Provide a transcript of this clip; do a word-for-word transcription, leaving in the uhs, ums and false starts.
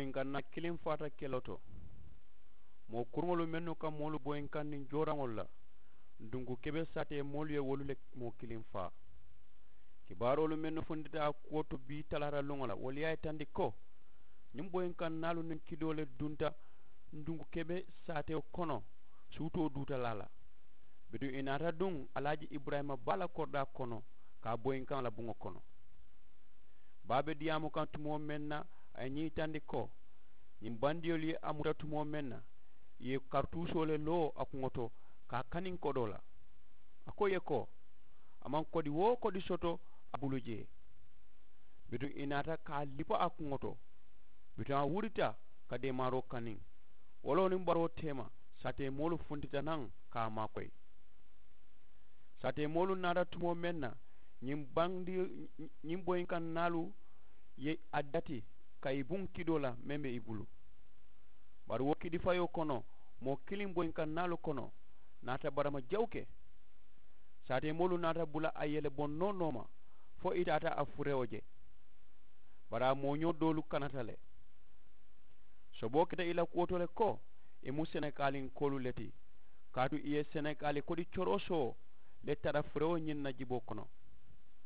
boyinkaŋ naa kiliŋ faata keloo to. Moo kuruŋolu mennu ka moolu boyinkaŋ niŋ jooraŋolu la, dunku kebe saatee moolu ye wolu le moo kiliŋ faa. Kibaaroolu mennu funtita a kuwo to bii talaata luŋo la wolu ye a yitandi ko, ñiŋ boyinkaŋ naalu niŋ kidoo le dunta dunku kebe saatewo kono, suutoo duuta laa la. Bituŋ ì naata duŋ alaaji iburayima baa la koridaa kono, ka a boyinkaŋ la buŋo kono. Baa be diyaamu kaŋ tumoo meŋ na, a ye ñiŋ yitandi ko, ñiŋ bandiyolu ye a muta tumoo meŋ na, ì ye karituusoo le loo a kuŋo to, ka a kaniŋ kodoo la. A ko ì ye ko, a maŋ kodi woo kodi soto a bulu jee. Bituŋ ì naata ka a lipa a kuŋo to. Bituŋ a wurita ka deemaaroo kaniŋ. Woloo niŋ baroo teema, saateemoolu funtita naŋ ka a maakoyi. Saateemoolu naata tumoo meŋ na, ñiŋ bandi ñiŋ boyinkaŋ naalu ye a dati ka ì buŋ kidoo la meŋ be ì bulu. Bari wo kidifayoo kono, moo kiliŋ boyinkaŋ naalu kono naata barama jawu ke. Saateemoolu naata bula a yele boŋ noo nooma, fo ì taata a furewo je. Bari a mooñoo doolu kanata le. Soboo keta ì la kuwo to le ko, ì mu senekaaliŋ koolu le ti, kaatu ì ye senekaali kodi corosoo le tara furewo ñiŋ na jiboo kono.